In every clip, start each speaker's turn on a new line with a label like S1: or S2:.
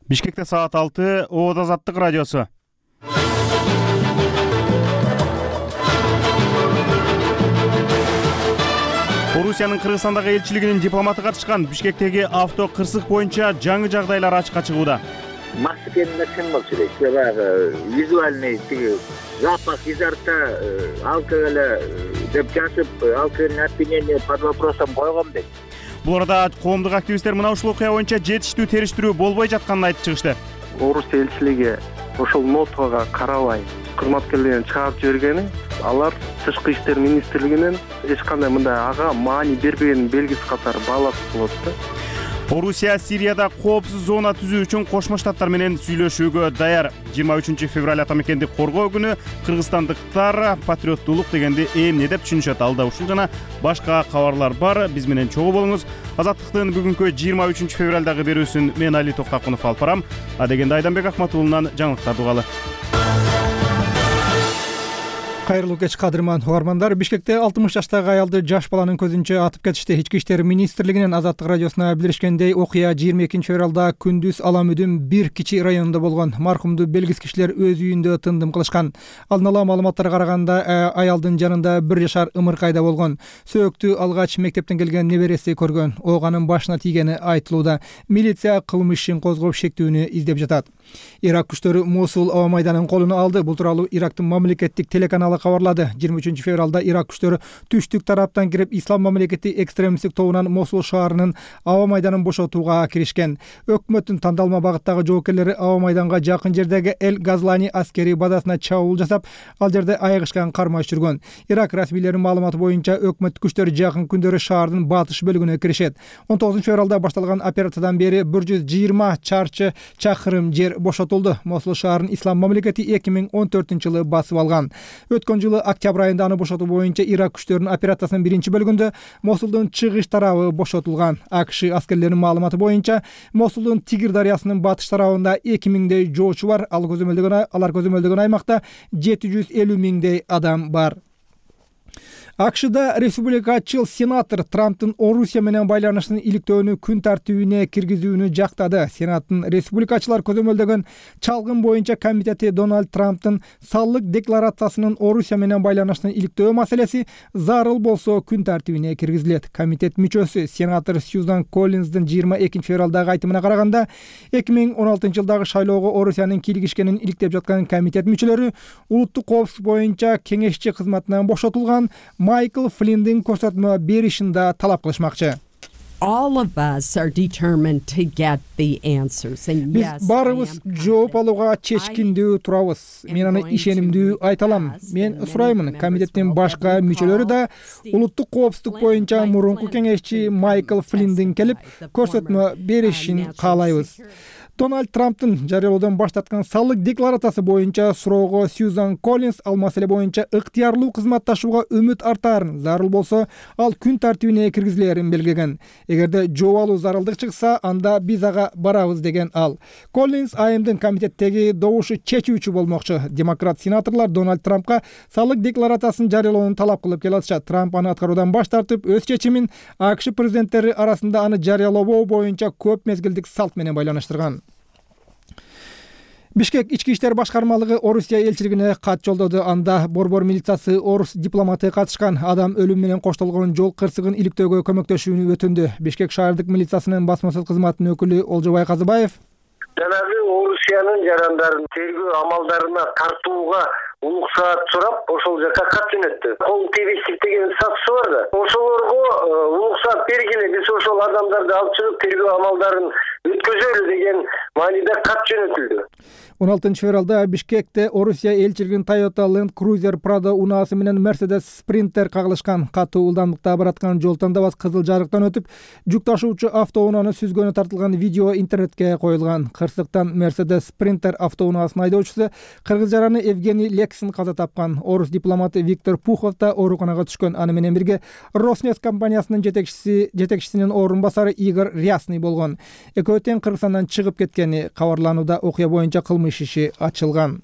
S1: Бишкекте саат 6, Оот Азаттык радиосу. Орусиянын Кыргызстандагы элчилигинин дипломаты катышкан Бишкектеги авто кырсык боюнча жаңы жагдайлар ачыкка чыгууда.
S2: Мас экенин чын болчу дейт. Баягы визуальный тиги запах изо рта алкоголя деп жазып, алкогольное опьянение под вопросом койгом дейт.
S1: Бул арада коомдук активисттер мына ушул окуя боюнча жетиштүү териштирүү болбой жатканын айтып чыгышты.
S3: Орусия элчилиги ошол нотага карабай кызматкерлерин чыгарып жибергени, алар Тышкы иштер министрлигинен эч кандай мындай ага маани бербегенин белгиси катары бааласып болот да.
S1: Орусия Сирияда коопсуз зона түзүү үчүн Кошмо Штаттар менен сүйлөшүүгө даяр. 23 февраль ата мекенди коргоо күнү кыргызстандыктар патриоттуулук дегенди эмне деп түшүнүшөт? Алда ушул жана башка кабарлар бар. Биз менен чогуу болуңуз. Азаттыктын бүгүнкү 23 февралдагы берүүсүн мен Али Токтакунов алып барам. Адегенде Айданбек Акматуулунан жаңылыктарды угалы.
S4: Кайрылуу кеч кадырман угармандар. Бишкекте 60 жаштагы аялды жаш баланын көзүнчө атып кетишти. Ички иштер министрлигинин Азаттык радиосуна билдиришкендей, окуя 22 февралда күндүз Аламүдүн бир кичи районунда болгон. Маркумду белгисиз кишилер өз үйүндө тындым кылышкан. Алдын ала маалыматтарга караганда, аялдын жанында 1 жашар ымыркайда болгон. Сөөктү алгач мектептен келген небереси көргөн. Оганын башына тийгени айтылууда. Милиция кылмыш ишин козгоп шектүүнү издеп жатат. Ирак күчтөрү Мосул аба майданын колуна алды. Бул тууралуу Ирактын мамлекеттик телеканалы кабарлады. 23 февралда Ирак күчтөрү түштүк тараптан кирип, Ислам мамлекети экстремисттик тобунан Мосул шаарынын аба майданын бошотууга киришкен. Өкмөттүн тандалма багыттагы жоокерлери аба майданга жакын жердеги Эл Газлани аскерий базасына чабуул жасап, ал жерде айыгышкан кармаш жүргөн. Ирак расмийлеринин маалыматы боюнча, өкмөт күчтөрү жакын күндөрү шаардын батыш бөлүгүнө киришет. 19 февралда башталган операциядан бери 120 чарчы чакырым жер бошотулду. Мосул шаарын Ислам мамлекети 2014-жылы басып алган. Өткөн жылы октябрь айында аны бошотуу боюнча Ирак күчтөрүнүн операциясынын биринчи бөлүгүндө Мосулдун чыгыш тарабы бошотулган. АКШ аскерлеринин маалыматы боюнча, Мосулдун Тигир дарыясынын батыш тарабында 2000дей жоочу бар. Алар көзөмөлдөгөн аймакта 750 миңдей адам бар. АКШда республикачыл сенатор Трамптын Орусия менен байланышын иликтөөнү күн тартибине киргизүүнү жактады. Сенаттын республикачылар көзөмөлдөгөн чалгын боюнча комитети Дональд Трамптын салык декларациясынын Орусия менен байланышын иликтөө маселеси зарыл болсо күн тартибине киргизилет. Комитет мүчөсү сенатор Сьюзан Коллинздин 22 февралдагы айтымына караганда, 2016-жылдагы шайлоого Орусиянын кийлигишкенин иликтеп жаткан комитет мүчөлөрү улуттук коопсуздук боюнча кеңешчи кызматынан бошотулган Майкл Флиндин көрсөтмө беришин да талап кылышмакчы.
S5: All of us are determined to get the answers. And yes,
S4: биз баарыбыз жооп алууга чечкиндүү турабыз. Мен аны ишенимдүү айта алам. Мен сураймын, комитеттин башка мүчөлөрү да улуттук коопсуздук боюнча мурунку кеңешчи Майкл Флиндин келип көрсөтмө беришин каалайбыз. Дональд Трамптын жарыялоодон баш тарткан салык декларациясы боюнча суроого Сьюзан Коллинз ал маселе боюнча ыктыярлуу кызматташууга үмүт артаарын, зарыл болсо ал күн тартибине киргизилерин белгилеген. Эгерде жооп алуу зарылдык чыкса, анда биз ага барабыз деген ал. Коллинз айымдын комитеттеги добушу чечүүчү болмокчу. Демократ сенаторлор Дональд Трампка салык декларациясын жарыялоону талап кылып келатышат. Трамп аны аткаруудан баш тартып, өз чечимин АКШ президенттери арасында аны жарыялоо боюнча көп мезгилдик салт менен байланыштырган. Бишкек ички иштер башкармалыгы Орусия элчилигине кат жолдоду. Анда борбор милициясы орус дипломаты катышкан адам өлүм менен коштолгон жол кырсыгын иликтөөгө көмөктөшүүнү өтүндү. Бишкек шаардык милициясынын басмасөз кызматынын өкүлү Олжобай Казыбаев
S6: жанагы Орусиянын жарандарын тергөө амалдарына тартууга уруксаат сурап, ошол жака кат жөнөттү. Кол тийбестик деген статусу бар да. Ошолорго уруксаат бергиле, биз ошол адамдарды алып чыгып тергөө амалдарын өткөзөлү деген мааниде кат жөнөтүлдү.
S4: 16 февралда Бишкекте Орусия элчилигинин Toyota Land Cruiser Prado унаасы менен Mercedes Sprinter кагылышкан. Катуу ылдамдыкта бараткан жол тандабас кызыл жарыктан өтүп, жүк ташуучу автоунааны сүзгөнү тартылган видео интернетке коюлган. Кырсыктан Mercedes Sprinter автоунаасынын айдоочусу кыргыз жараны Евгений Лексин каза тапкан. Орус дипломаты Виктор Пухов да ооруканага түшкөн. Аны менен бирге Роснефть компаниясынын жетекчисинин орун басары Игорь Рясный болгон. Экөө тең Кыргызстандан чыгып кеткени кабарланууда. Окуя боюнча кылмыш иши ачылган.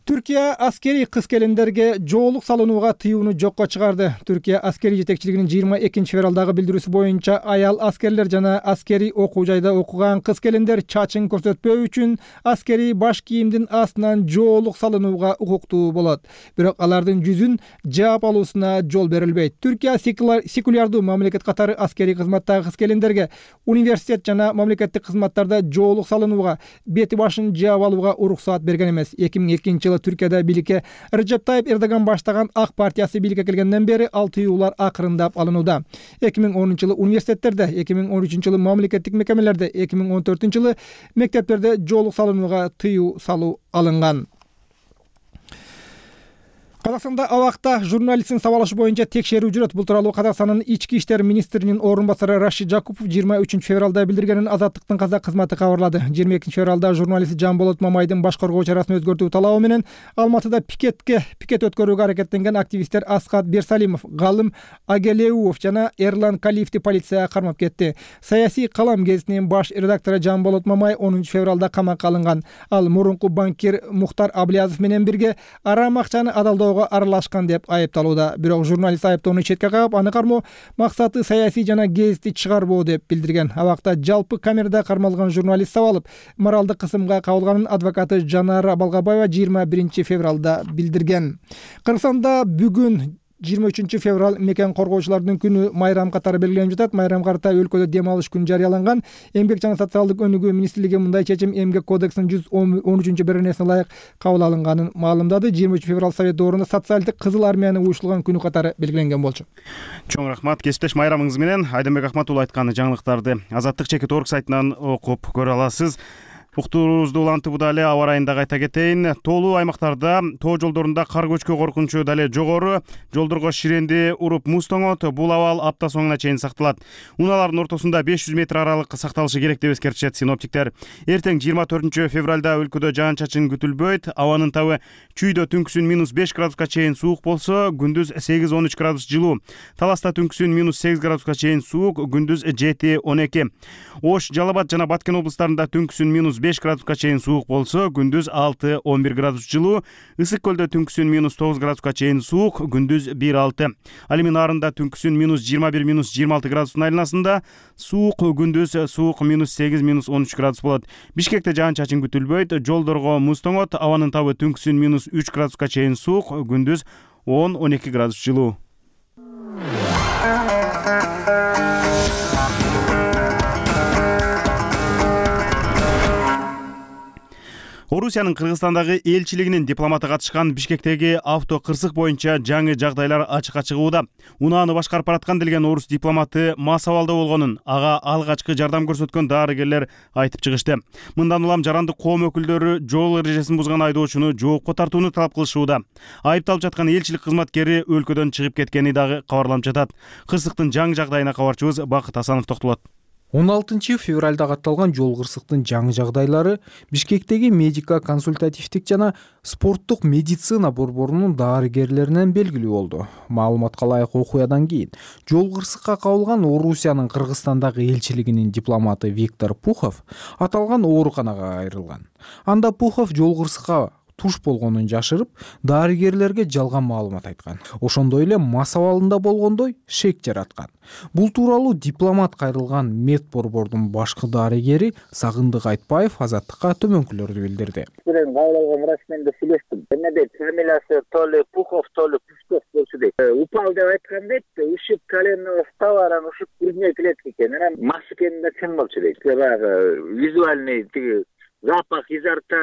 S4: Түркия аскерий кыз-келиндерге жоолук салынууга тыюуну жокко чыгарды. Түркия аскерий жетекчилигинин 22 февралдагы билдирүүсү боюнча аял аскерлер жана аскерий окуу жайда окуган кыз-келиндер чачын көрсөтпөө үчүн аскерий баш кийимдин астынан жоолук салынууга укуктуу болот. Бирок алардын жүзүн жаап алуусуна жол берилбейт. Түркия секулярдуу мамлекет катары аскерий кызматтагы кыз-келиндерге университет жана мамлекеттик кызматтарда жоолук салынууга, бети башын жаап алууга уруксаат берген эмес. 2002-жылы Түркияда бийликке Режеп Тайип Эрдоган баштаган Ак партиясы бийликке келгенден бери ал тыюулар акырындап алынууда. 2010-жылы университеттерде, 2013-жылы мамлекеттик мекемелерде, 2014-жылы мектептерде жоолук салынууга тыюу салуу алынган. Казакстанда абакта журналисттин сабалышы боюнча текшерүү жүрөт. Бул тууралуу Казакстандын ички иштер министринин орун басары Рашид Жакупов 23 февралда билдиргенин Азаттыктын казак кызматы кабарлады. 22 февралда журналист Жамболот Мамайдын баш коргоо чарасын өзгөртүү талабы менен Алматыда пикет өткөрүүгө аракеттенген активисттер Аскат Берсалимов, Галым Агелеуов жана Эрлан Калиевди полицияга кармап кетти. Саясий калам гезитинин баш редактору Жамболот Мамай 10 февралда камакка алынган. Ал мурунку банкир Мухтар Аблязов менен бирге арам акчаны адалдоого аралашкан деп айыпталууда. Бирок журналист айыптоону четке кагып, аны кармоо максаты саясий жана гезитти чыгарбоо деп билдирген. Абакта жалпы камерада кармалган журналист сабалып, моралдык кысымга кабылганын адвокаты Жанара Балгабаева 21 февралда билдирген. Кыргызстанда бүгүн 23 февраль мекен коргоочулардын күнү майрам катары белгиленип жатат. Майрам карта өлкөдө дем алыш күнү жарыяланган. Эмгек жана социалдык өнүгүү министрлиги мындай чечим Эмгек кодексинин 113-беренесине ылайык кабыл алынганын маалымдады. 23 февраль Совет доорунда социалдык кызыл армияны уюштурган күнү катары белгиленген болчу.
S1: Чоң рахмат кесиптеш Майрамыңыз менен Айдынбек Акматулов айткан жаңылыктарды Азаттык чекит орг сайтынан окуп көрө аласыз. Уктуруубузду улантып дале аба ырайын дагы айта кетейин. Тоолуу аймактарда тоо жолдорунда кар көчкү коркунучу дале жогору. Жолдорго ширенди уруп муз тоңот. Бул абал апта соңуна чейин сакталат. Унаалардын ортосунда 500 метр аралык сакталышы керек деп эскертишет синоптиктер. Эртең 24 февралда өлкөдө жаан-чачын күтүлбөйт. Абанын табы чүйдө түнкүсүн -5 градуска чейин суук болсо, күндүз 8-13 градус жылуу. Таласта түнкүсүн -8 градуска чейин суук, күндүз 7-12. Ош, Жалал Абад жана Баткен облустарында түнкүсүн -5 градуска чейин суук болсо, күндүз 6-11 градус жылуу. Ысык көлдө түнкүсүн -9 градуска чейин суук, күндүз 1-6. Ал эми нарында түнкүсүн -21-26 градустун айланасында суук, күндүз суук -8-13 градус болот. Бишкекте жаан-чачын күтүлбөйт. Жолдорго муз тоңот. Абанын табы түнкүсүн -3 градуска чейин суук, күндүз 10-12 градус жылуу. Орусиянын Кыргызстандагы элчилигинин дипломаты катышкан Бишкектеги авто кырсык боюнча жаңы жагдайлар ачыкка чыгууда. Унааны башкарып бараткан делген орус дипломаты мас абалда болгонун ага алгачкы жардам көрсөткөн дарыгерлер айтып чыгышты. Мындан улам жарандык коом өкүлдөрү жол эрежесин бузган айдоочуну жоопко тартууну талап кылышууда. Айыпталып жаткан элчилик кызматкери өлкөдөн чыгып кеткени дагы кабарланып жатат. Кырсыктын жаңы жагдайына кабарчыбыз Бакыт Асанов токтолот.
S7: 16 февралда катталган жол кырсыктын жаңы жагдайлары Бишкектеги медико-консультативдик жана спорттук медицина борборунун дарыгерлеринен белгилүү болду. Маалыматка ылайык окуядан кийин жол кырсыкка кабылган Орусиянын Кыргызстандагы элчилигинин дипломаты Виктор Пухов аталган ооруканага кайрылган. Анда Пухов жол кырсыкка туш болгонун жашырып, дарыгерлерге жалган маалымат айткан. Ошондой эле мас абалында болгондой шек жараткан. Бул тууралуу дипломат кайрылган медборбордун башкы дарыгери Сагындык Айтбаев Азаттыкка төмөнкүлөрдү билдирди.
S2: Мен кабыл алган врач менен да сүйлөштүм. Эмне фамилиясы то ли Пухов, то ли Пушков болчу дейт. Упал деп айткан дейт. Ушиб коленного става, ушиб грудной клетки экен. Анан мас экени да чын болчу дейт. Баягы визуальный тиги запах изо рта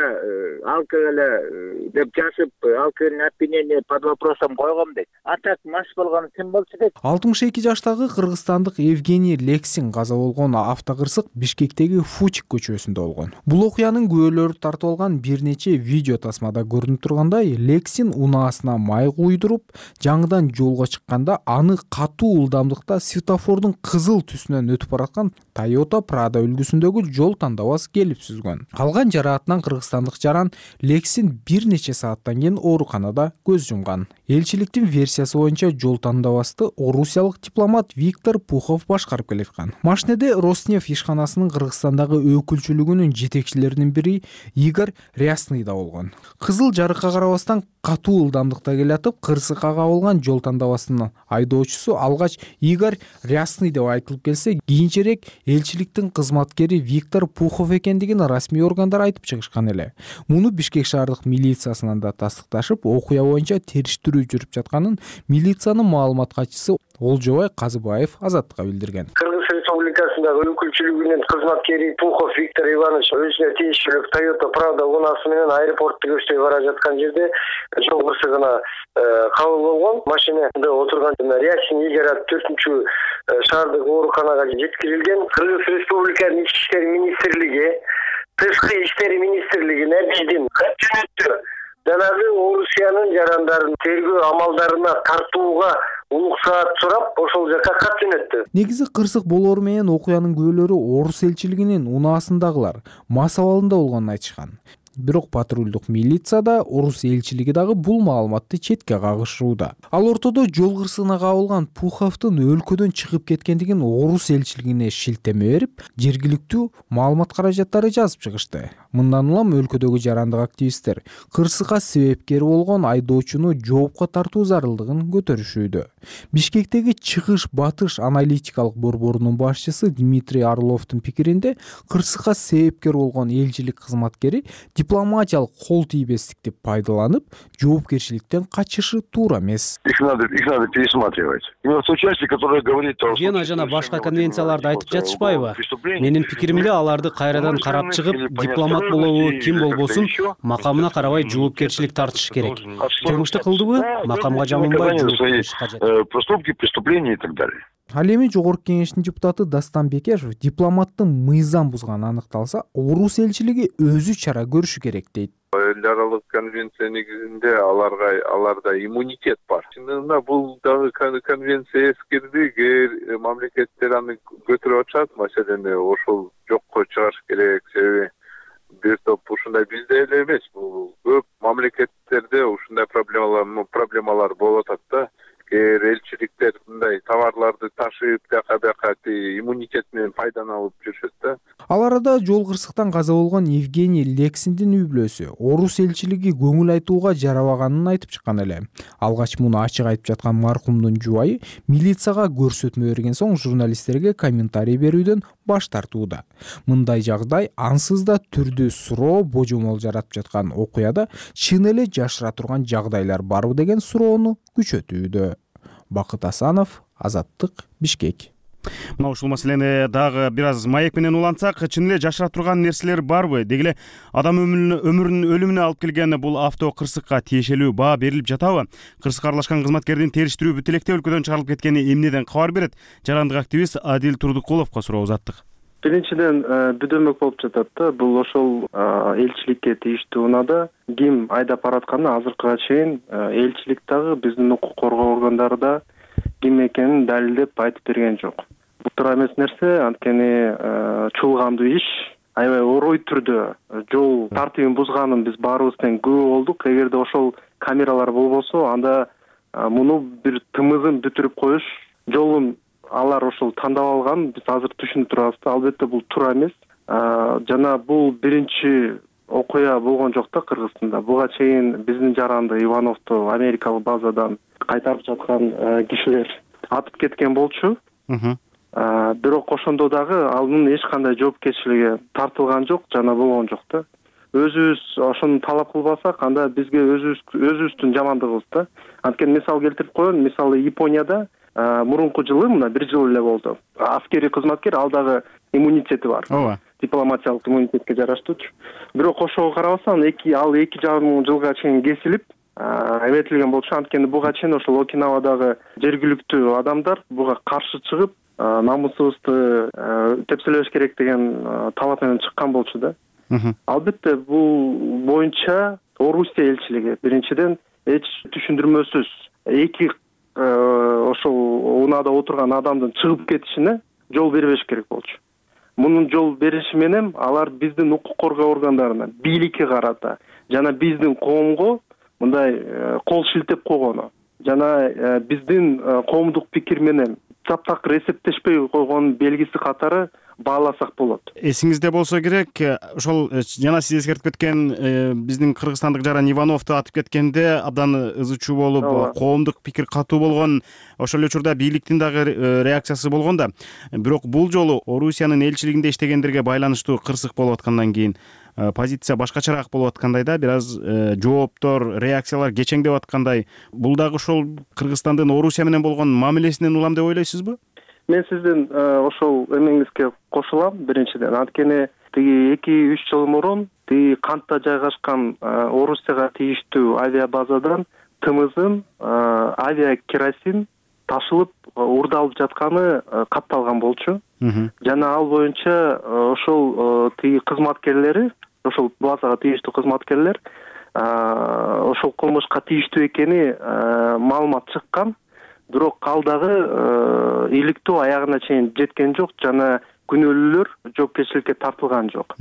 S2: алкоголя деп жазып, алкогольное опьянение под вопросом койгом дейт. А так мас болгону ким болчу дейт.
S7: 62 жаштагы кыргызстандык Евгений Лексин каза болгон автокырсык Бишкектеги Фучик көчөсүндө болгон. Бул окуянын күбөлөрү тартып алган бир нече видео тасмада көрүнүп тургандай, Лексин унаасына май куйдуруп, жаңыдан жолго чыкканда аны катуу ылдамдыкта светофордун кызыл түсүнөн өтүп бараткан Toyota Prado үлгүсүндөгү жол тандабас келип сүзгөн. Алган жараатынан кыргызстандык жаран Лексин бир нече сааттан кийин ооруканада көз жумган. Элчиликтин версиясы боюнча жол тандабасты орусиялык дипломат Виктор Пухов башкарып келаткан. Машинеде Роснефть ишканасынын Кыргызстандагы өкүлчүлүгүнүн жетекчилеринин бири Игорь Рясный да болгон. Кызыл жарыкка карабастан катуу ылдамдыкта келатып, кырсыкка кабылган жол тандабасынын айдоочусу алгач Игорь Рясный деп айтылып келсе, кийинчерээк элчиликтин кызматкери Виктор Пухов экендигин расмий органдар айтып чыгышкан эле. Муну Бишкек шаардык милициясынан да тастыкташып, окуя боюнча териштирүү жүрүп жатканын милициянын маалымат катчысы Олжобай Казыбаев Азаттыкка билдирген.
S6: Кыргыз Республикасындагы өкүлчүлүгүнүн кызматкери Пухов Виктор Иванович өзүнө тийиштүү Toyota Pravda унасы менен аэропортто көчтөй бара жаткан жерде жол кырсыгына кабыл болгон. Машинада отурган Рясин Игорь 4-чү шаардык ооруканага жеткирилген. Кыргыз Республикасынын Ички иштер министрлиги, Тышкы иштер министрлигине биздин кат жөнөттү. Жанагы Орусиянын жарандарын тергөө амалдарына тартууга уруксаат сурап, ошол жака кат жөнөттү.
S7: Негизи кырсык болоору менен окуянын күбөлөрү орус элчилигинин унаасындагылар мас абалында болгонун айтышкан. Бирок патрулдук милиция да орус элчилиги дагы бул маалыматты четке кагышууда. Ал ортодо жол кырсыгына кабылган Пуховдун өлкөдөн чыгып кеткендигин орус элчилигине шилтеме берип, жергиликтүү маалымат каражаттары жазып чыгышты. Мындан улам өлкөдөгү жарандык активисттер кырсыкка себепкер болгон айдоочуну жоопко тартуу зарылдыгын көтөрүшүүдө. Бишкектеги чыгыш батыш аналитикалык борборунун башчысы Дмитрий Орловдун пикиринде, кырсыкка себепкер болгон элчилик кызматкери дипломатиялык кол тийбестикти пайдаланып, жоопкерчиликтен качышы туура эмес.
S8: Их надо пересматривать. Именно в той части, которая говорит о
S9: Вена жана башка конвенцияларды айтып жатышпайбы? Менин пикиримде аларды кайрадан карап чыгып, дипломат болобу, ким болбосун, макамына карабай жоопкерчилик тартыш керек. Кылмышты кылдыбы, макамга жаманбай жоопкерчилик кажет.
S8: Проступки, преступления и так далее.
S7: Ал эми Жогорку кеңештин депутаты Дастан Бекешев дипломаттын мыйзам бузганы аныкталса, орус элчилиги өзү чара көрүшү керек дейт.
S10: Эл аралык конвенция негизинде аларда иммунитет бар. Чынында бул дагы конвенция эскирди, мамлекеттер аны көтөрүп атышат, маселени ошол жокко чыгарыш керек. Себеби бир топ ушундай бизде эле эмес, бул көп мамлекеттерде ушундай проблемалар болуп атат да. Элчиликтер мындай товарларды ташып, бияка иммунитет менен пайданы алып жүрүшөт да.
S7: Ал арада жол кырсыктан каза болгон Евгений Лексиндин үй бүлөсү орус элчилиги көңүл айтууга жарабаганын айтып чыккан эле. Алгач муну ачык айтып жаткан маркумдун жубайы милицияга көрсөтмө берген соң журналисттерге комментарий берүүдөн баш тартууда. Мындай жагдай ансыз да түрдүү суроо божомол жаратып жаткан окуяда чын эле жашыра турган жагдайлар барбы деген суроону күчөтүүдө. Бакыт Асанов, Азаттык, Бишкек.
S1: Мына ушул маселени дагы бир аз маек менен улантсак, чын эле жашыра турган нерселер барбы? Деги эле адам өмүрүнүн өлүмүнө алып келген бул авто кырсыкка тиешелүү баа берилип жатабы? Кырсыкка аралашкан кызматкердин териштирүү бүтүлөктө өлкөдөн чыгарылып кеткени эмнеден кабар берет? Жарандык активист Адил Турдукуловго суроо узаттык.
S3: Биринчиден бүдөмөк болуп жатат да. Бул ошол элчиликке тийиштүү унаада ким айдап баратканы азыркыга чейин элчилик дагы биздин укук коргоо органдары да ким экенин далилдеп айтып берген жок. Бул туура эмес нерсе, анткени чуулгандуу иш, аябай орой түрдө жол тартибин бузганын биз баарыбыз тең күбө болдук. Эгерде ошол камералар болбосо, анда муну бир тымызын бүтүрүп коюш жолун алар ошол тандап алган, биз азыр түшүнүп турабыз да. Албетте бул туура эмес. Жана бул биринчи окуя болгон жок да Кыргызстанда. Буга чейин биздин жаранды Ивановду америкалык базадан кайтарып жаткан кишилер атып кеткен болчу. Бирок ошондо дагы анын эч кандай жоопкерчилиги тартылган жок, жана болгон жок да. Өзүбүз ошону талап кылбасак, анда бизге өзүбүздүн жамандыгыбыз да. Анткени мисал келтирип коеюн, мисалы Японияда мурунку жылы, мына бир жыл эле болду. Аскерий кызматкер, ал дагы иммунитети бар.
S1: Ооба.
S3: Дипломатиялык иммунитетке жараштуучу. Бирок ошого карабастан, ал 2,5 жылга чейин кесилип, эметилген болчу. Анткени буга чейин ошол Окинавадагы жергиликтүү адамдар буга каршы чыгып, намусубузду тепселебеш керек деген талап менен чыккан болчу да. Албетте бул боюнча Орусия элчилиги биринчиден эч түшүндүрмөсүз эки ошол унаада отурган адамдын чыгып кетишине жол бербеш керек болчу. мунун жол бериши менен алар биздин укук коргоо органдарына, бийликке карата жана биздин коомго мындай кол шилтеп койгону жана биздин коомдук пикир менен таптакыр эсептешпей койгонун белгиси катары бааласак болот.
S1: Эсиңизде болсо керек, ошол жана сиз эскертип кеткен биздин кыргызстандык жаран Ивановду атып кеткенде абдан ызы чуу болуп, коомдук пикир катуу болгон, ошол эле учурда бийликтин дагы реакциясы болгон да. Бирок бул жолу Орусиянын элчилигинде иштегендерге байланыштуу кырсык болуп аткандан кийин позиция башкачараак болуп аткандай да, бир аз жооптор, реакциялар кечеңдеп аткандай. Бул дагы ошол Кыргызстандын Орусия менен болгон мамилесинен улам деп ойлойсузбу?
S3: Мен сиздин ошол эмеңизге кошулам. Биринчиден, анткени тиги 2-3 жыл мурун тиги Кантта жайгашкан Орусияга тийиштүү авиабазадан тымыздын авиакеросин ташылып урдалып жатканы катталган болчу. Жана ал боюнча ошол тиги кызматкерлери, ошол базага тийиштүү кызматкерлер ошол кылмышка тийиштүү экени маалымат чыккан. Бирок ал дагы иликтөө аягына чейин жеткен жок жана күнөөлүүлөр жоопкерчиликке тартылган жок.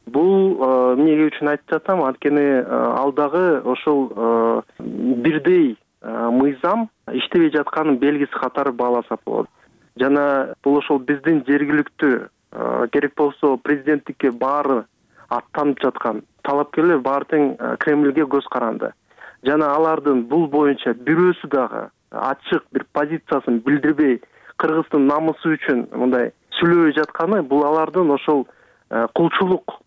S3: Бул эмне үчүн айтып жатам? Анткени ал дагы ошол бирдей мыйзам иштебей жатканын белгиси катары бааласа болот. Жана бул ошол биздин жергиликтүү керек болсо президенттикке баары аттанып жаткан талапкерлер баары тең Кремльге көз каранды. Жана алардын бул боюнча бирөөсү дагы ачык бир позициясын билдирбей Кыргыздын намысы үчүн мындай сүйлөбөй жатканы бул алардын ошол кулчулук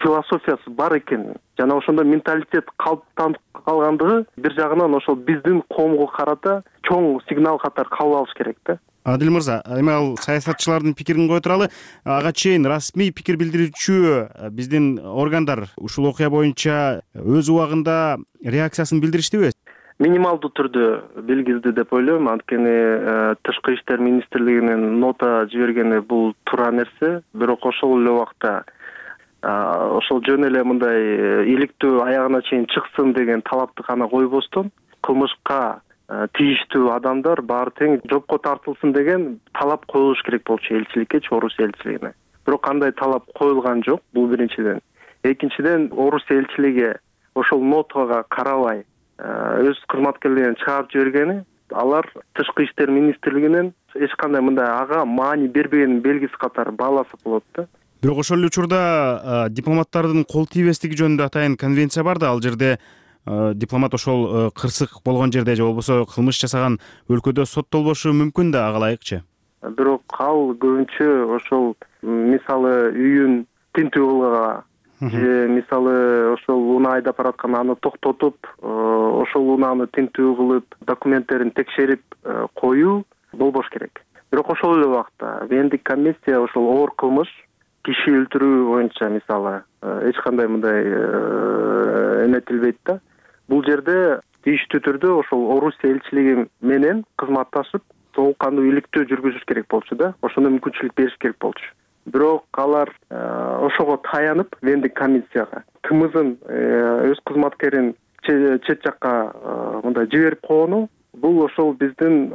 S3: философиясы бар экен жана ошондой менталитет калыптанып калгандыгы бир жагынан ошол биздин коомго карата чоң сигнал катары кабыл алыш керек да.
S1: Адил мырза, эми ал саясатчылардын пикирин кое туралы, ага чейин расмий пикир билдирүүчү биздин органдар ушул окуя боюнча өз убагында реакциясын билдириштиби?
S3: Минималдуу түрдө билгизди деп ойлойм, анткени Тышкы иштер министрлигинин нота жибергени бул туура нерсе, бирок ошол эле убакта ошол жөн эле мындай иликтөө аягына чейин чыксын деген талапты гана койбостон, кылмышка тийиштүү адамдар баары тең жоопко тартылсын деген талап коюлуш керек болчу элчиликкечи, Орусия элчилигине. Бирок кандай талап коюлган жок, бул биринчиден. Экинчиден, Орусия элчилиги ошол нотага карабай өз кызматкерлерин чыгарып жибергени, алар Тышкы иштер министрлигинен эч кандай мындай ага маани бербегенин белгиси катары бааласа болот да.
S1: Бирок ошол эле учурда дипломаттардын кол тийбестиги жөнүндө атайын конвенция бар да, ал жерде дипломат ошол кырсык болгон жерде же болбосо кылмыш жасаган өлкөдө соттолбошу мүмкүн да, ага ылайыкчы.
S3: Бирок ал көбүнчө ошол мисалы үйүн тинтүү кылууга же мисалы ошол унаа айдап бараткан аны токтотуп, ошол унааны тинтүү кылып, документтерин текшерип коюу болбош керек. Бирок ошол эле убакта Вендик комиссия ошол оор кылмыш, киши өлтүрүү боюнча мисалы эч кандай мындай эметилбейт да. Бул жерде тийиштүү түрдө ошол Орусия элчилиги менен кызматташып, толук кандуу иликтөө жүргүзүш керек болчу да. Ошондо мүмкүнчүлүк бериш керек болчу. Бирок алар ошого таянып, Вендик комиссияга тымыздын өз кызматкерин чет жакка мындай жиберип койгону, бул ошол биздин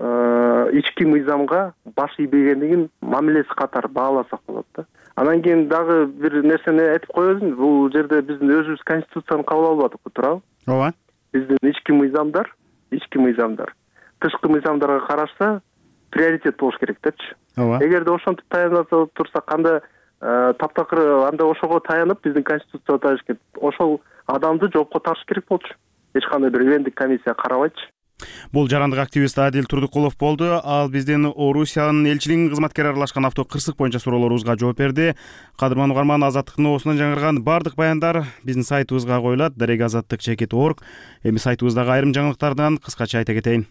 S3: ички мыйзамга баш ийбегендигин мамилеси катары бааласак болот да. Анан кийин дагы бир нерсени айтып коебузбу, бул жерде биздин өзүбүз конституцияны кабыл албадыкпы, туурабы?
S1: Ооба.
S3: Биздин ички мыйзамдар тышкы мыйзамдарга карашса приоритет болуш керек депчи.
S1: Ооба.
S3: Эгерде ошентип таянып турсак, анда таптакыр анда ошого таянып биздин конституцияга таяныш керек. Ошол адамды жоопко тартыш керек болчу. Эч кандай бир Вендик комиссия карабайчы.
S1: Бул жарандык активист Адил Турдукулов болду. Ал биздин Орусиянын элчилигинин кызматкери аралашкан автокырсык боюнча суроолорубузга жооп берди. Кадырман угарман, Азаттыктын оосунан жаңырган бардык баяндар биздин сайтыбызга коюлат, @azattik.org. Эми сайтыбыздагы айрым жаңылыктардан кыскача айта кетейин.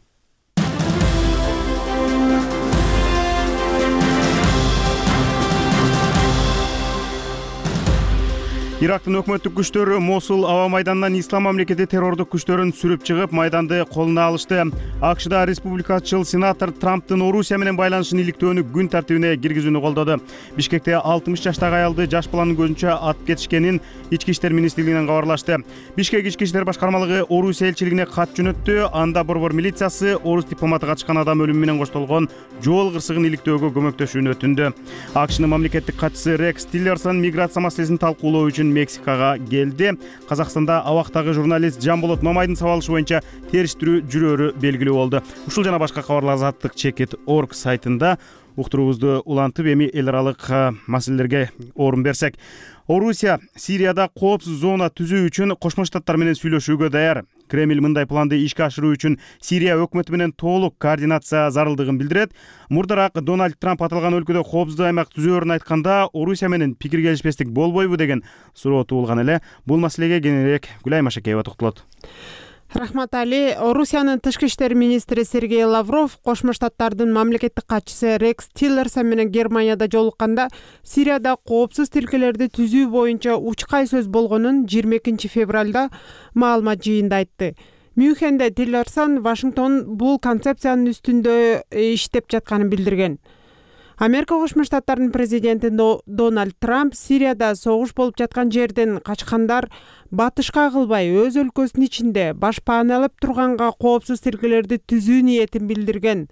S1: Ирактын өкмөттүк күчтөрү Мосул аба майданынан Ислам мамлекети террордук күчтөрүн сүрүп чыгып, майданды колуна алышты. АКШда республикачыл сенатор Трамптын Орусия менен байланышын иликтөөнү күн тартибине киргизүүнү колдоду. Бишкекте 60 жаштагы аялды жаш баланын көзүнчө атып кетишкенин Ички иштер министрлигинен кабарлашты. Бишкек ички иштер башкармалыгы Орусия элчилигине кат жөнөттү. Анда борбор милициясы орус дипломаты катышкан адам өлүмү менен коштолгон жол кырсыгын иликтөөгө көмөктөшүүнү өтүндү. АКШнын мамлекеттик катчысы Рекс Тиллерсон миграция маселесин талкуулоо үчүн Мексикага келди. Казакстанда абактагы журналист Жамболот Мамайдын сабалышы боюнча териштирүү жүрөөрү белгилүү болду. Ушул жана башка кабарлар Азаттык Чекит.org сайтында уктуруубузду улантып, эми эл аралык маселелерге орун берсек. Орусия Сирияда коопсуз зона түзүү үчүн Кошмо Штаттар менен сүйлөшүүгө даяр. Кремль мындай планды ишке ашыруу үчүн Сирия өкмөтү менен толук координация зарылдыгын билдирет. Мурдараак Дональд Трамп аталган өлкөдө коопсуздук аймак түзөөрүн айтканда, Орусия менен пикир келишпестик болбойбу деген суроо туулган эле. Бул маселеге кененирээк Гүлай Машакеева токтолот.
S11: Рахмат Али. Орусиянын тышкы иштер министри Сергей Лавров Кошмо Штаттардын мамлекеттик катчысы Рекс Тиллерсон менен Германияда жолукканда Сирияда коопсуз тилкелерди түзүү боюнча учкай сөз болгонун 22 февралда маалымат жыйында айтты. Мюнхенде Тиллерсон Вашингтон бул концепциянын үстүндө иштеп жатканын билдирген. Америка Кошмо Штаттарынын президенти Дональд Трамп Сирияда согуш болуп жаткан жерден качкандар батышка кылбай өз өлкөсүнүн ичинде башпааналап турганга коопсуз тилкелерди түзүү ниетин билдирген.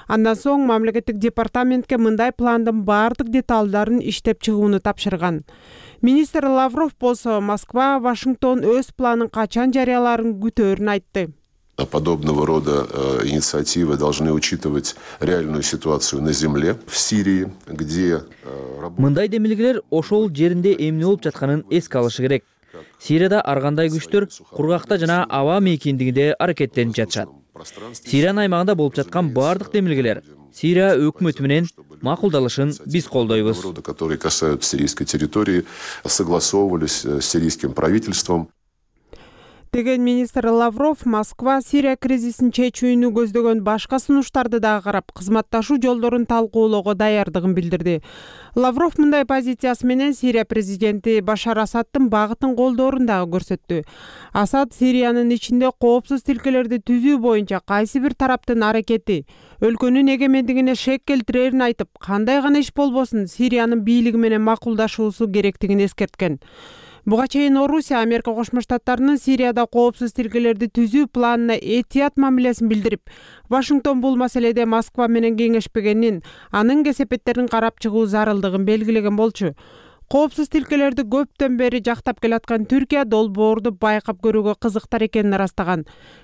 S11: Андан соң мамлекеттик департаментке мындай пландын баардык деталдарын иштеп чыгууну тапшырган. Министр Лавров болсо Москва Вашингтон өз планын качан жарыяларын күтөөрүн айтты.
S12: Подобного рода инициативы должны учитывать реальную ситуацию на земле в Сирии, где
S13: мындай демилгелер ошол жеринде эмне болуп жатканын эске алышы керек. Сирияда ар кандай күчтөр кургакта жана аба мейкиндигинде аракеттенип жатышат. Сириянын аймагында болуп жаткан баардык демилгелер Сирия өкмөтү менен макулдалышын биз колдойбуз.
S12: Которые касаются сирийской территории, согласовывались с сирийским правительством.
S11: Деген министр Лавров Москва Сирия кризисин чечүүнү көздөгөн башка сунуштарды дагы карап, кызматташуу жолдорун талкуулоого даярдыгын билдирди. Лавров мындай позициясы менен Сирия президенти Башар Асадтын багытын колдоорун дагы көрсөттү. Асад Сириянын ичинде коопсуз тилкелерди түзүү боюнча кайсы бир тараптын аракети өлкөнүн эгемендигине шек келтирерин айтып, кандай гана иш болбосун Сириянын бийлиги менен макулдашуусу керектигин эскерткен. Буга чейин Орусия Америка Кошмо Штаттарынын Сирияда коопсуз тилкелерди түзүү планына этият мамилесин билдирип, Вашингтон бул маселеде Москва менен кеңешпегенин, анын кесепеттерин карап чыгуу зарылдыгын белгилеген болчу. Коопсуз тилкелерди көптөн бери жактап келаткан Түркия долбоорду байкап көрүүгө кызыктар экенин ырастаган.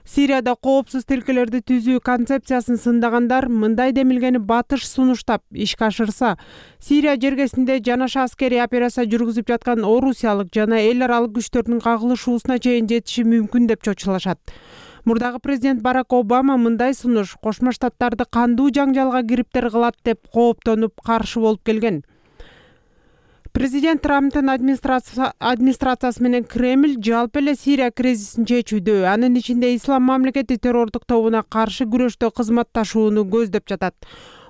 S11: Сирияда коопсуз тилкелерди түзүү концепциясын сындагандар мындай демилгени батыш сунуштап ишке ашырса, Сирия жергесинде жанаша аскерий операция жүргүзүп жаткан орусиялык жана эл аралык күчтөрдүн кагылышуусуна чейин жетиши мүмкүн деп чочулашат. Мурдагы президент Барак Обама мындай сунуш Кошмо Штаттарды кандуу жаңжалга кириптер кылат деп кооптонуп каршы болуп келген. Президент Трамптын администрациясы менен Кремль жалпы эле Сирия кризисин чечүүдө, анын ичинде Ислам мамлекети террордук тобуна каршы күрөштө кызматташууну көздөп жатат.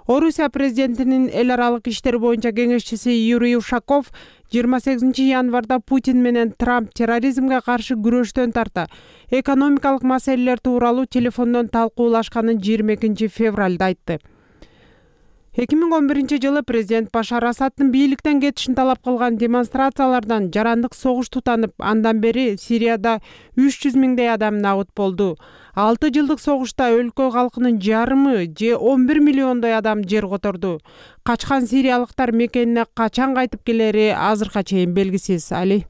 S11: Орусия президентинин эл аралык иштер боюнча кеңешчиси Юрий Ушаков 28 январда Путин менен Трамп терроризмге каршы күрөштөн тарта экономикалык маселелер тууралуу телефондон талкуулашканын 22 февралда айтты. 2011 жылы президент Башар Асадтын бийликтен кетишин талап кылган демонстрациялардан жарандык согуш тутанып, андан бери Сирияда 300 миңдей адам набыт болду. 6 жылдык согушта өлкө калкынын жарымы же 11 миллиондой адам жер которду. Качкан сириялыктар мекенине качан кайтып келери азыркыга чейин белгисиз. Али.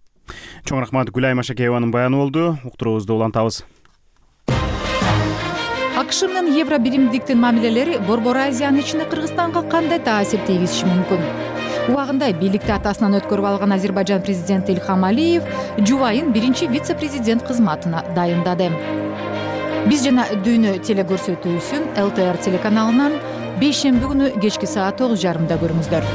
S1: Чоң рахмат, Гүлай Машакееванын баяны болду. Уктуруубузду улантабыз.
S14: АКШ менен евро биримдиктин мамилелери Борбор Азиянын ичинде Кыргызстанга кандай таасир тийгизиши мүмкүн? Убагында бийликти атасынан өткөрүп алган Азербайжан президенти Ильхам Алиев жубайын биринчи вице-президент кызматына дайындады. Биз жана дүйнө телекөрсөтүүсүн ЛТР телеканалынан бейшемби күнү кечки саат 9:30 көрүңүздөр.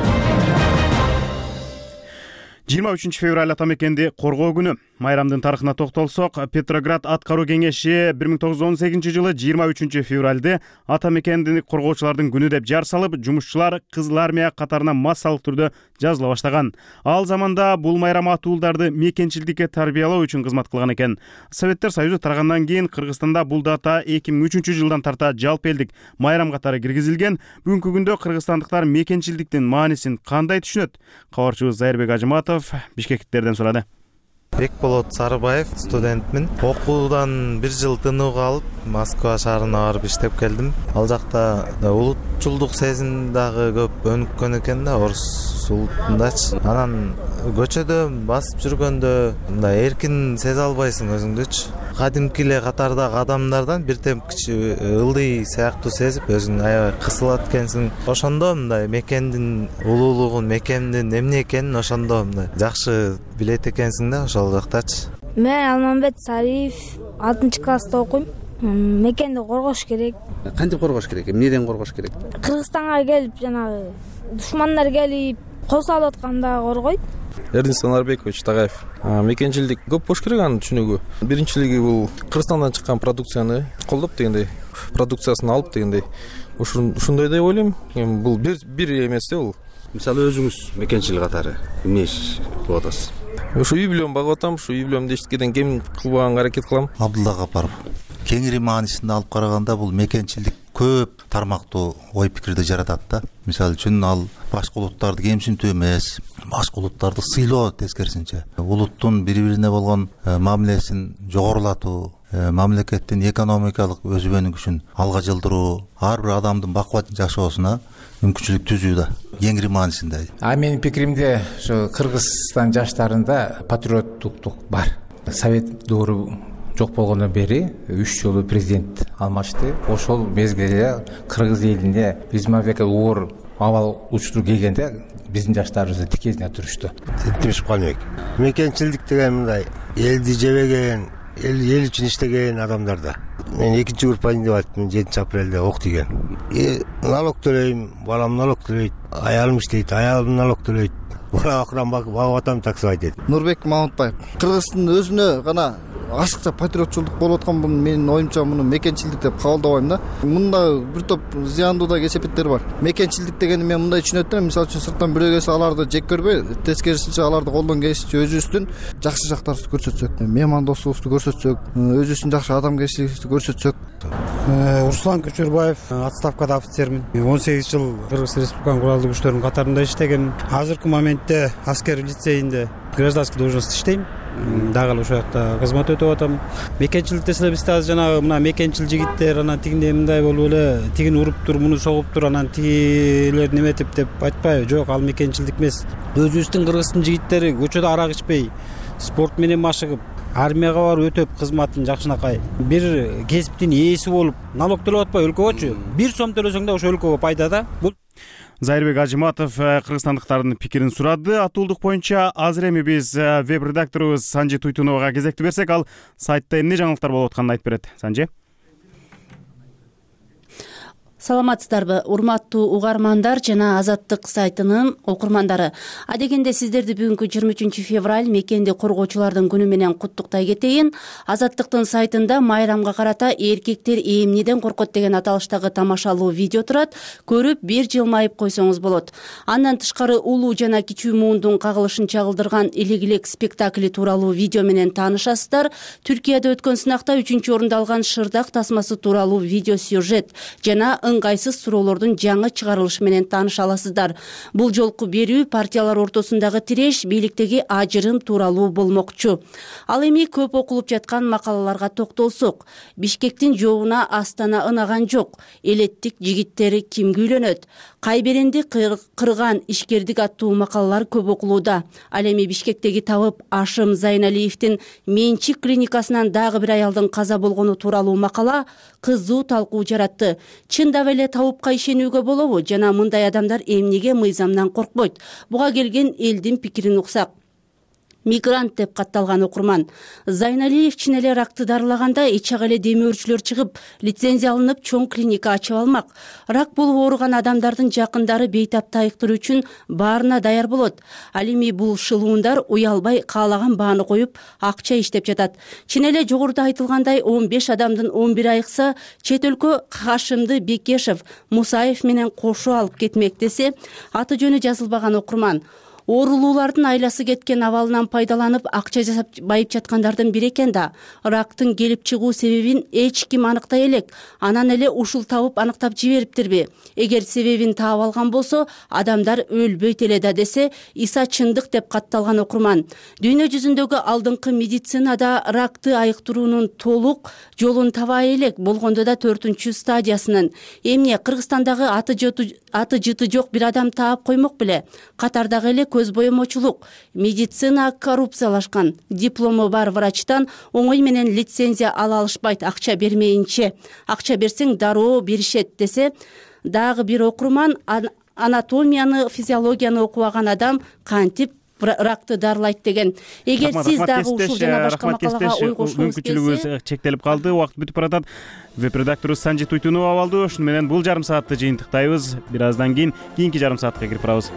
S1: 23 февраль ата мекенди коргоо күнү. Майрамдын тарыхына токтолсок, Петроград аткаруу кеңеши 1918 жылы 23 февралды ата мекенди коргоочулардын күнү деп жар салып, жумушчулар Кызыл армия катарына массалык түрдө жазыла баштаган. Ал заманда бул майрам атуулдарды мекенчилдикке тарбиялоо үчүн кызмат кылган экен. Советтер Союзу тарагандан кийин Кыргызстанда бул дата 2003 жылдан тарта жалпы элдик майрам катары киргизилген. Бүгүнкү күндө кыргызстандыктар мекенчилдиктин маанисин кандай түшүнөт? Кабарчыбыз Зайырбек Ажыматов бишкектиктерден сурады.
S15: Бекболот Сарыбаев, студентмин. Окуудан 1 жыл тынууга алып, Москва шаарына барып иштеп келдим. Ал жакта улутчулдук сезим дагы көп өнүккөн экен да, орус улутундачы. Анан көчөдө басып жүргөндө мындай эркин сезе албайсың өзүңдүчү. Кадимки эле катардагы адамдардан бир темпкичи ылдый сыяктуу сезип, өзүң аябай кысылат экенсиң. Ошондо мындай мекендин улуулугун, мекендин эмне экенин ошондо мындай жакшы билет экенсиң да ошол жактачы.
S16: Мен Алмамбет Сариев 6-класста окуйм. Мекенди коргош керек.
S17: Кантип коргош керек? Эмнеден коргош керек?
S16: Кыргызстанга келип, жанагы душмандар келип, кол салып атканда коргойт.
S18: Эрдин Санарбекович Тагаев. Мекенчилдик көп болуш керек анын түшүнүгү. Биринчилиги бул Кыргызстандан чыккан продукцияны колдоп дегендей, продукциясын алып дегендей. Ушундай деп ойлойм. Бул бир эмес да бул.
S17: Мисалы өзүңүз мекенчил катары эмне иш кылып атасыз?
S18: Ушу үй бүлөм багып атам, ушу үй бүлөмдү эчкеден кем кылбаганга аракет кылам.
S19: Абдулла Капаров. Кеңири маанисинде алып караганда бул мекенчилдик көп тармактуу ой пикирди жаратат да. Мисалы үчүн ал башка улуттарды кемсинтүү эмес, башка улуттарды сыйлоо тескерисинче. Улуттун бири-бирине болгон мамилесин жогорулатуу, мамлекеттин экономикалык өзүбөнүн күчүн алга жылдыруу, ар бир адамдын бакубат жашоосуна мүмкүнчүлүк түзүү да. Кеңири маанисинде.
S20: Менин пикиримде ушу Кыргызстан жаштарында патриоттуктук бар. Совет доору жок болгондон бери 3 жолу президент алмашты. Ошол мезгилде кыргыз элинде биз мамлекет оор абал учтур келгенде биздин жаштарыбыз тикезине турушту.
S21: Сеттимиш Калмек. Мекенчилдик деген мындай элди жебеген, эл үчүн иштеген адамдарда. Мен 2-чи группаны деп айттым, 7-апрелде ок деген. Налог төлөйм, балам налог төлөйт, аялым иштейт, аялым налог төлөйт. Бала акыран багып атам таксыбай дейт.
S22: Нурбек Мамытбаев. Кыргыздын өзүнө гана ашыкча патриотчулдук болуп аткан бул менин оюмча муну мекенчилдик деп кабылдабайм да. Мында бир топ зыяндуу да кесепеттер бар. Мекенчилдик дегенди мен мындай түшүнөт да, мисалы үчүн сырттан бирөө келсе аларды жек көрбөй, тескерисинче аларды колдон келишинче өзүбүздүн жакшы жактарыбызды көрсөтсөк, меймандостугубузду көрсөтсөк, өзүбүздүн жакшы адамгерчилигибизди көрсөтсөк.
S23: Руслан Көчөрбаев, отставкада офицермин. 18 жыл Кыргыз Республиканын куралдуу күчтөрүнүн катарында иштегем. Азыркы моментте аскер лицейинде гражданский должность иштейм. Дагы ошол жакта кызмат өтүп атам. Мекенчилик десе бизде азыр жанагы мына мекенчил жигиттер анан тигиндей мындай болуп эле тигин уруп тур, муну согуп тур, анан тигилер неметип деп айтпайбы? Жок, ал мекенчилдик эмес. Өзүбүздүн Кыргыздын жигиттери көчөдө арак ичпей, спорт менен машыгып, армияга барып өтөп кызматын жакшынакай бир кесиптин ээси болуп, налог төлөп атпай өлкөгөчү 1 сом төлөсөң да ошо өлкөгө пайда да. Бул
S1: Зайырбек Ажыматов кыргызстандыктардын пикирин сурады. Атуулдук боюнча азыр эми биз веб-редакторубуз Санжи Туйтуновага кезекти берсек, ал сайтта эмне жаңылыктар болуп атканын айтып берет. Санжи.
S24: Саламатсыздарбы, урматтуу угармандар жана Азаттык сайтынын окурмандары. Адегенде сиздерди бүгүнкү 23 февраль мекенди коргоочулардын күнү менен куттуктай кетейин. Азаттыктын сайтында майрамга карата эркектер эмнеден коркот деген аталыштагы тамашалуу видео турат. Көрүп бир жылмайып койсоңуз болот. Андан тышкары улуу жана кичүү муундун кагылышын чагылдырган Илек-илек спектакли тууралуу видео менен таанышасыздар. Түркияда өткөн сынакта 3-орунду алган Шырдак тасмасы тууралуу видео сюжет жана ыңгайсыз суроолордун жаңы чыгарылышы менен тааныша аласыздар. Бул жолку берүү партиялар ортосундагы тиреш, бийликтеги ажырым тууралуу болмокчу. Ал эми көп окулуп жаткан макалаларга токтолсок. Бишкектин жообуна Астана ынаган жок. Элеттик жигиттери кимге үйлөнөт? Кайберенди кырган ишкердик аттуу макалалар көп окулууда. Ал эми Бишкектеги табып Ашым Зайналиевдин менчик клиникасынан дагы бир аялдын каза болгону тууралуу макала кызуу талкуу жаратты. Чындап эле табыпка ишенүүгө болобу жана мындай адамдар эмнеге мыйзамдан коркпойт? Буга келген элдин пикирин уксак. мигрант деп катталган окурман. Зайналиев чын эле ракты дарылаганда ичак эле демөөрчүлөр чыгып, лицензия алынып, чоң клиника ачып алмак. Рак болуп ооруган адамдардын жакындары бейтапты айыктыруу үчүн баарына даяр болот. Ал эми бул шылуундар уялбай каалаган бааны коюп, акча иштеп жатат. Чын эле жогоруда айтылгандай 15 адамдын 11 айыкса, чет өлкө Хашимди Бекешев, Мусаев менен кошо алып кетмек десе, аты жөнү жазылбаган окурман. Оорулуулардын айласы кеткен абалынан пайдаланып акча жасап байып жаткандардын бири экен да. Рактын келип чыгуу себебин эч ким аныктай элек. Анан эле ушул табып аныктап жибериптирби? Эгер себебин таап алган болсо, адамдар өлбөйт эле да десе, Иса чындык деп катталган окурман. Дүйнө жүзүндөгү алдыңкы медицинада ракты айыктыруунун толук жолун табай элек, болгондо да 4-чү стадиясынын. Эмне Кыргызстандагы аты жыты жок бир адам таап коймок беле? Катардагы эле көз боемочулук, медицина коррупциялашкан, диплому бар врачтан оңой менен лицензия ала алышпайт акча бермейинче. Акча берсең дароо беришет десе, дагы бир окурман анатомияны, физиологияны окубаган адам кантип ракты дарылайт деген. Эгер сиз дагы ушул жана башка макалага ой кошкуңуз келсе,
S1: мүмкүнчүлүгүбүз чектелип калды, убакыт бүтүп баратат. Веб-редактору Санжи Туйтунова абалды. Ушуну менен бул жарым саатты жыйынтыктайбыз. Бир аздан кийин кийинки жарым саатка кирип барабыз.